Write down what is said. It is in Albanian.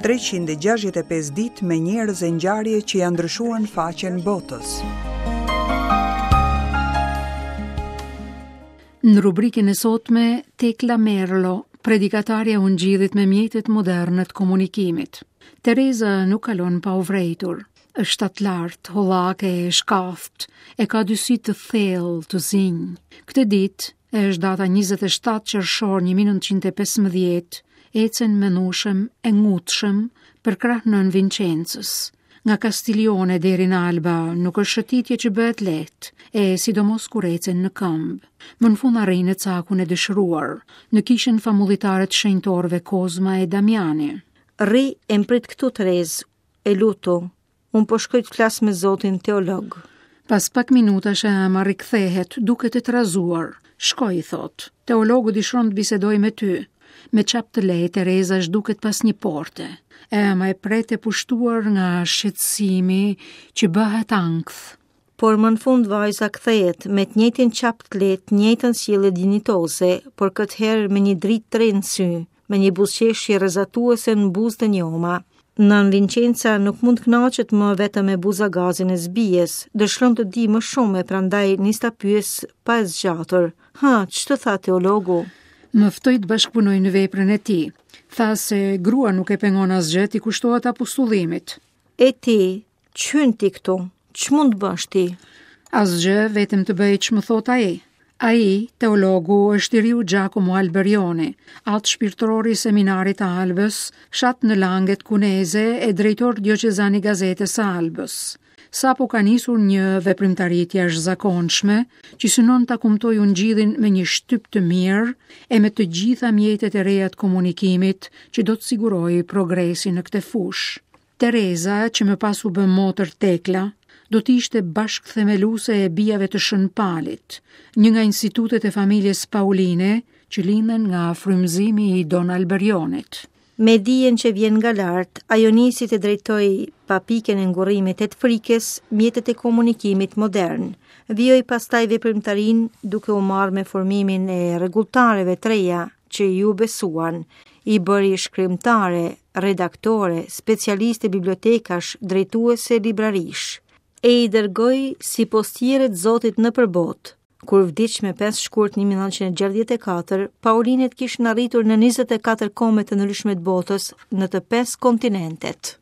365 ditë me njerëz e ngjarje që ia ndryshuan faqen botës. Në rubrikën e sotme, Tekla Merlo, predikatarja e Ungjillit me mjetet moderne të komunikimit. Tereza nuk kalon pa u vrejtur. Është shtatlartë, hollake e shkathtë, e ka dy sy të thellë, të zinj. Këtë ditë, e është data 27 qershor 1915, ecën mendueshëm e ngutshëm përkrah nënë Vinçencës. Nga Kastiljone deri në Alba nuk është shëtitje që bëhet lehtë, e sidomos kur ecën në këmbë. Më në fund arrijnë në cakun e dëshiruar, në kishën famullitare të shenjtorëve Kozma e Damiani. Rri e më prit këtu Terezë, e lutu, Unë po shkoj të flas me zotin teolog. Pas pak minutash e ëma rikthehet, duket e trazuar. Shko, i thotë. Teologu dëshiron të bisedojë me ty. Me çap të lehtë Tereza zhduket pas një porte. E ëma e pret e pushtuar nga shqetësimi që bëhet ankth. Por më në fund vajza kthehet me të njëjtin çap të lehtë, të njëjtën sjellje dinjitoze, por këtë herë me një dritë të re në sy, me një buzëqeshje rrezatuese në buzë të njoma. Nënë Vincenca nuk mund të kënaqet më vetëm me buzagazin e së bijës, dëshiron të dijë më shumë e prandaj nis ta pyesë pa e zgjatur. Hë, ç'të tha teologu? Më ftoi të bashkëpunoj në veprën e tij. Tha se gruan nuk e pengon asgjë t'i kushtohet apostullimit. E ti, Ç'hyn ti këtu? Ç'mund të bësh ti? Asgjë, vetëm të bëj ç'më thotë ai. Ai, teologu, është i riu Giacomo Alberione, atë shpirtëror i seminarit të Albës, fshat në Langet Kuneze e drejtor dioqezan i gazetës së Albës. Sapo ka nisur një veprimtari të jashtëzakonshme, që synon ta kumtojë ungjillin me një shtyp të mirë e me të gjitha mjetet e reja të komunikimit që do të sigurojë progresin në këtë fushë. Tereza, që më pas u bë motër Tekla, do të ishte bashkëthemeluese e Bijave të Shën Palit, një nga institutet e familjes Pauline që lindën nga frymëzimi i Don Alberionit. Me dijen që vjen nga lart, ajo nisi të drejtojë pa pikën e ngurrimit e të frikës mjetet e komunikimit modern. Vijoi pastaj veprimtarinë duke u marrë me formimin e rregulltareve të reja që iu besuan. I bëri shkrimtare, redaktore, specialiste bibliotekash, drejtuese librarish. E i dërgoi si postiere të Zotit nëpër botë. Kur vdiq me 5 shkurt 1964, Paulinet kishin arritur në 24 kombe të ndryshme të botës në të 5 kontinentet.